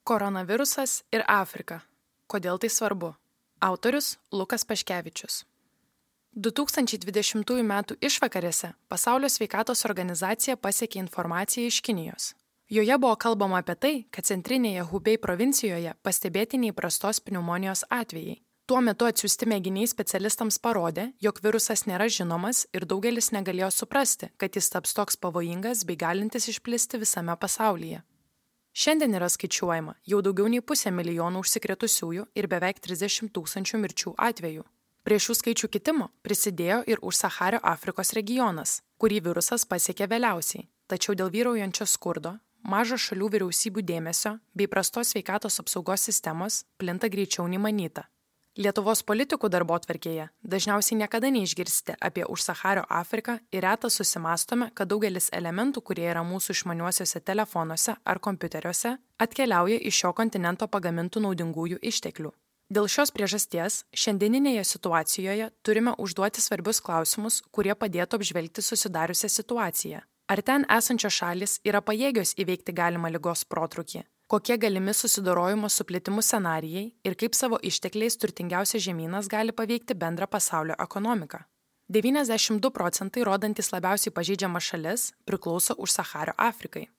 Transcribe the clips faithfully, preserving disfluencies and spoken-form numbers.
Koronavirusas ir Afrika. Kodėl tai svarbu? Autorius Lukas Paškevičius. du tūkstančiai dvidešimtųjų metų išvakarėse Pasaulio sveikatos organizacija pasiekė informaciją iš Kinijos. Joje buvo kalbama apie tai, kad centrinėje Hubei provincijoje pastebėti neįprastos pneumonijos atvejai. Tuo metu atsiųsti mėginiai specialistams parodė, jog virusas nėra žinomas ir daugelis negalėjo suprasti, kad jis taps toks pavojingas bei galintis išplisti visame pasaulyje. Šiandien yra skaičiuojama jau daugiau nei pusė milijonų užsikrėtusiųjų ir beveik trisdešimt tūkstančių mirčių atvejų. Prie šių skaičių kitimo prisidėjo ir Užsachario Afrikos regionas, kurį virusas pasiekė vėliausiai, tačiau dėl vyraujančio skurdo, mažo šalių vyriausybių dėmesio bei prastos sveikatos apsaugos sistemos plinta greičiau nei manyta. Lietuvos politikų darbotvarkėje dažniausiai niekada neišgirsite apie Užsachario Afriką ir retą susimąstome, kad daugelis elementų, kurie yra mūsų išmaniuosiuose telefonuose ar kompiuteriuose, atkeliauja iš šio kontinento pagamintų naudingųjų išteklių. Dėl šios priežasties šiandieninėje situacijoje turime užduoti svarbius klausimus, kurie padėtų apžvelgti susidariusią situaciją. Ar ten esančios šalys yra pajėgios įveikti galimą ligos protrūkį? Kokie galimi susidorojimo su plitimu scenarijai ir kaip savo ištekliais turtingiausias žemynas gali paveikti bendrą pasaulio ekonomiką? devyniasdešimt du procentai rodantys labiausiai pažeidžiamas šalis priklauso Užsachario Afrikai.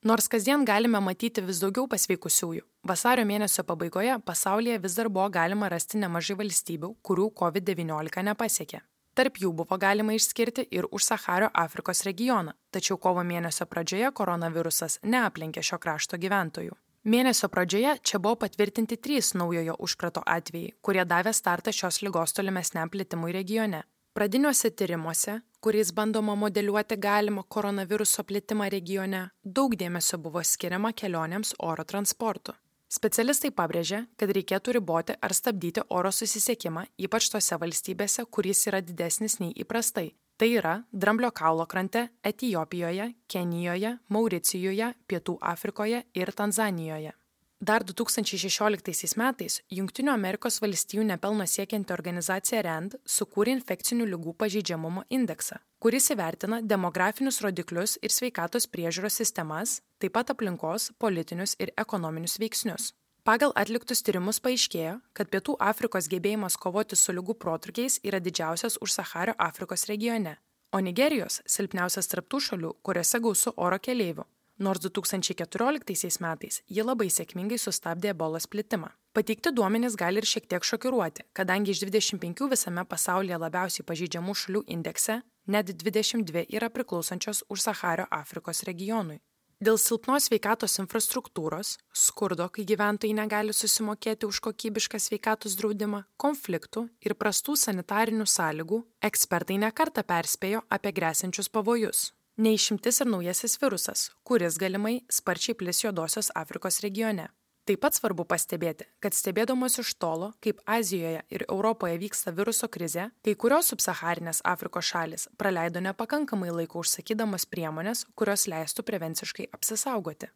Nors kasdien galime matyti vis daugiau pasveikusiųjų, vasario mėnesio pabaigoje pasaulyje vis dar buvo galima rasti nemažai valstybių, kurių kovid devyniolika nepasiekė. Tarp jų buvo galima išskirti ir Užsachario Afrikos regioną, tačiau kovo mėnesio pradžioje koronavirusas neaplenkė šio krašto gyventojų. Mėnesio pradžioje čia buvo patvirtinti trys naujojo užkrato atvejai, kurie davė startą šios ligos tolimesniam plitimui regione. Pradiniuose tyrimuose, kuriais bandoma modeliuoti galimą koronaviruso plitimą regione, daug dėmesio buvo skiriama kelionėms oro transportu. Specialistai pabrėžė, kad reikėtų riboti ar stabdyti oro susisiekimą, ypač tose valstybėse, kuris yra didesnis nei įprastai. Tai yra Dramblio kaulo krante, Etiopijoje, Kenijoje, Mauricijuje, Pietų Afrikoje ir Tanzanijoje. Dar du tūkstančiai šešioliktaisiais metais Jungtinių Amerikos valstijų nepelno siekianti organizacija RAND sukūrė infekcinių ligų pažeidžiamumo indeksą, kuris įvertina demografinius rodiklius ir sveikatos priežiūros sistemas, taip pat aplinkos, politinius ir ekonominius veiksnius. Pagal atliktus tyrimus paaiškėjo, kad Pietų Afrikos gebėjimas kovoti su ligų protrūkiais yra didžiausias Užsachario Afrikos regione, o Nigerijos silpniausias tarp tų šalių, kuriuose gausu oro keleivių. Nors du tūkstančiai keturioliktaisiais metais ji labai sėkmingai sustabdė ebolos plitimą. Pateikti duomenys gali ir šiek tiek šokiruoti, kadangi iš dvidešimt penkių visame pasaulyje labiausiai pažeidžiamų šalių indekse net dvidešimt dvi yra priklausančios Užsachario Afrikos regionui. Dėl silpnos sveikatos infrastruktūros, skurdo, kai gyventojai negali susimokėti už kokybišką sveikatos draudimą, konfliktų ir prastų sanitarinių sąlygų, ekspertai nekartą perspėjo apie gresiančius pavojus. Neišimtis ir naujasis virusas, kuris galimai sparčiai plis Juodosios Afrikos regione. Taip pat svarbu pastebėti, kad stebėdamos iš tolo, kaip Azijoje ir Europoje vyksta viruso krizė, kai kurios subsaharinės Afrikos šalis praleido nepakankamai laiko užsakydamos priemonės, kurios leistų prevenciškai apsisaugoti.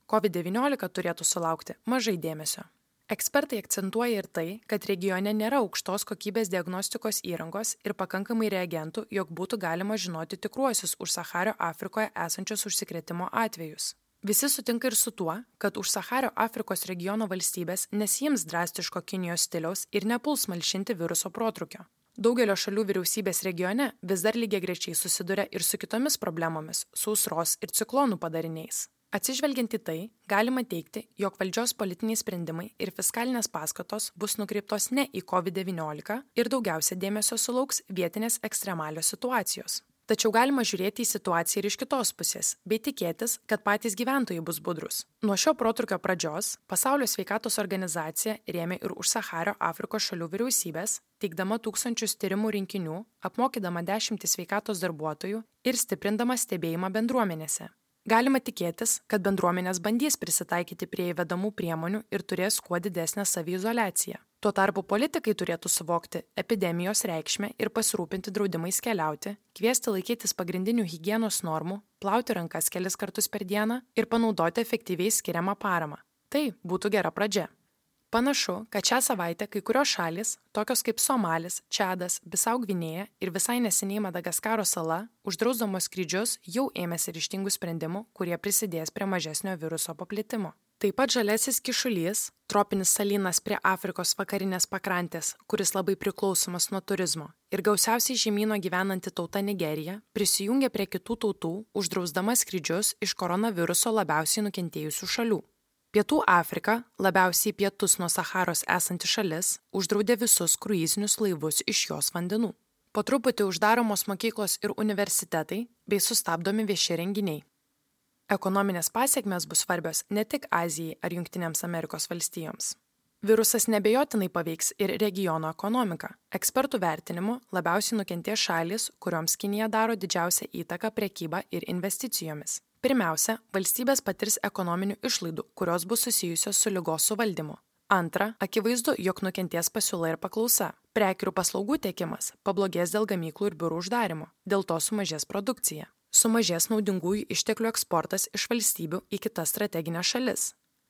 kovid devyniolika turėtų sulaukti mažai dėmesio. Ekspertai akcentuoja ir tai, kad regione nėra aukštos kokybės diagnostikos įrangos ir pakankamai reagentų, jog būtų galima žinoti tikruosius Užsachario Afrikoje esančius užsikrėtimo atvejus. Visi sutinka ir su tuo, kad Užsachario Afrikos regiono valstybės nesiims drastiško Kinijos stiliaus ir nepuls malšinti viruso protrūkio. Daugelio šalių vyriausybės regione vis dar lygiagrečiai susiduria ir su kitomis problemomis, sausros ir ciklonų padariniais. Atsižvelgiant į tai, galima teigti, jog valdžios politiniai sprendimai ir fiskalinės paskatos bus nukreiptos ne į kovid devyniolika ir daugiausia dėmesio sulauks vietinės ekstremalios situacijos. Tačiau galima žiūrėti į situaciją ir iš kitos pusės, bei tikėtis, kad patys gyventojai bus budrus. Nuo šio protrūkio pradžios Pasaulio sveikatos organizacija rėmė ir Užsachario Afrikos šalių vyriausybės, teikdama tūkstančius tyrimų rinkinių, apmokydama dešimtis sveikatos darbuotojų ir stiprindama stebėjimą bendruomenėse. Galima tikėtis, kad bendruomenės bandys prisitaikyti prie įvedamų priemonių ir turės kuo didesnę saviizoliaciją. Tuo tarpu politikai turėtų suvokti epidemijos reikšmę ir pasirūpinti draudimais keliauti, kviesti laikytis pagrindinių higienos normų, plauti rankas kelis kartus per dieną ir panaudoti efektyviai skiriamą paramą. Tai būtų gera pradžia. Panašu, kad šią savaitę kai kurios šalys, tokios kaip Somalis, Čadas, Bisau Gvinėja ir visai neseniai Madagaskaro sala, uždrausdamos skrydžius jau ėmėsi ryžtingų sprendimų, kurie prisidės prie mažesnio viruso paplitimo. Taip pat žaliasis kišulys, tropinis salynas prie Afrikos vakarinės pakrantės, kuris labai priklausomas nuo turizmo, ir gausiausiai žemyno gyvenanti tauta Nigerija prisijungė prie kitų tautų, uždrausdama skrydžius iš koronaviruso labiausiai nukentėjusių šalių. Pietų Afrika, labiausiai pietus nuo Saharos esanti šalis, uždraudė visus kruizinius laivus iš jos vandenų. Po truputį uždaromos mokyklos ir universitetai bei sustabdomi vieši renginiai. Ekonominės pasekmės bus svarbios ne tik Azijai ar Jungtinėms Amerikos valstijoms. Virusas nebejotinai paveiks ir regiono ekonomiką. Ekspertų vertinimu labiausiai nukentės šalys, kurioms Kinija daro didžiausią įtaką prekyba ir investicijomis. Pirmiausia, valstybės patirs ekonominių išlaidų, kurios bus susijusios su ligos suvaldymu. Antra, akivaizdu, jog nukentės pasiūla ir paklausa. Prekių ir paslaugų tiekimas pablogės dėl gamyklų ir biurų uždarimo, dėl to sumažės produkcija. Sumažės naudingųjų išteklių eksportas iš valstybių į kitas strateginės šalis.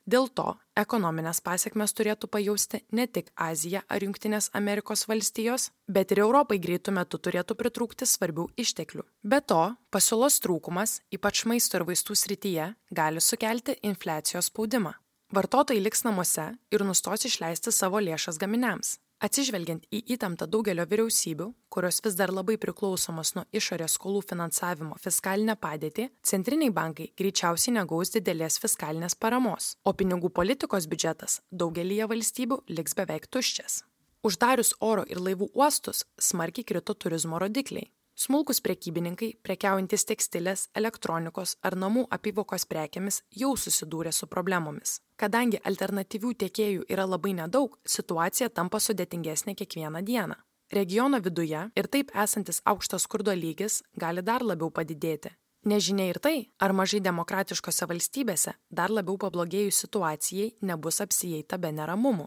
Dėl to ekonominės pasekmes turėtų pajausti ne tik Azija ar Jungtinės Amerikos valstijos, bet ir Europai greitų metų turėtų pritrūkti svarbių išteklių. Be to, pasiūlos trūkumas, ypač maisto ir vaistų srityje, gali sukelti infliacijos spaudimą. Vartotojai liks namuose ir nustos išleisti savo lėšas gaminiams. Atsižvelgiant į įtemptą daugelio vyriausybių, kurios vis dar labai priklausomos nuo išorės skolų finansavimo fiskalinę padėtį, centriniai bankai greičiausiai negaus didelės fiskalinės paramos, o pinigų politikos biudžetas daugelyje valstybių liks beveik tuščias. Uždarius oro ir laivų uostus smarkiai krito turizmo rodikliai. Smulkus prekybininkai, prekiaujantys tekstilės, elektronikos ar namų apyvokos prekėmis jau susidūrė su problemomis. Kadangi alternatyvių tiekėjų yra labai nedaug, situacija tampa sudėtingesnė kiekvieną dieną. Regiono viduje ir taip esantis aukštas skurdo lygis gali dar labiau padidėti. Nežinia ir tai, ar mažai demokratiškose valstybėse dar labiau pablogėjus situacijai nebus apsieita be neramumų.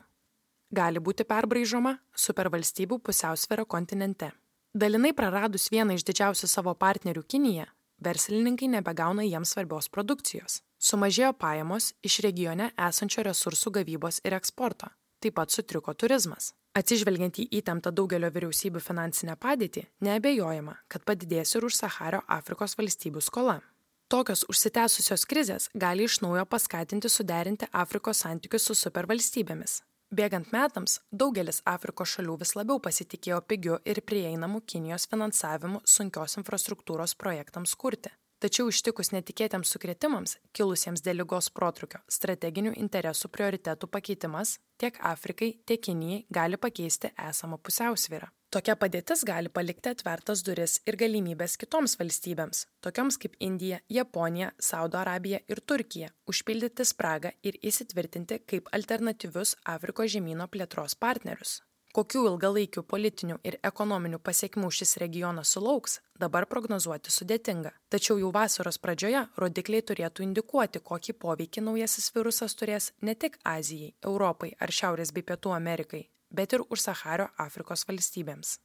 Gali būti perbraižoma supervalstybių pusiausvėra kontinente. Dalinai praradus vieną iš didžiausių savo partnerių Kiniją, verslininkai nebegauna jiems svarbios produkcijos. Sumažėjo pajamos iš regione esančio resursų gavybos ir eksporto. Taip pat sutriko turizmas. Atsižvelgiant į įtemptą daugelio vyriausybių finansinę padėtį, neabejojama, kad padidės ir už Sahario Afrikos valstybių skola. Tokios užsitęsusios krizės gali iš naujo paskatinti suderinti Afrikos santykius su supervalstybėmis. Bėgant metams, daugelis Afrikos šalių vis labiau pasitikėjo pigiu ir prieinamu Kinijos finansavimu sunkios infrastruktūros projektams kurti. Tačiau ištikus netikėtiems sukrėtimams, kilusiems dėl ligos protrūkio, strateginių interesų prioritetų pakeitimas tiek Afrikai, tiek Kinijai gali pakeisti esamą pusiausvyrą. Tokia padėtis gali palikti atvertas duris ir galimybės kitoms valstybėms, tokioms kaip Indija, Japonija, Saudo Arabija ir Turkija, užpildyti spragą ir įsitvirtinti kaip alternatyvius Afrikos žemyno plėtros partnerius. Kokių ilgalaikių politinių ir ekonominių pasiekmių šis regionas sulauks, dabar prognozuoti sudėtinga. Tačiau jau vasaros pradžioje rodikliai turėtų indikuoti, kokį poveikį naujasis virusas turės ne tik Azijai, Europai ar Šiaurės bei Pietų Amerikai, bet ir už Sahario Afrikos valstybėms.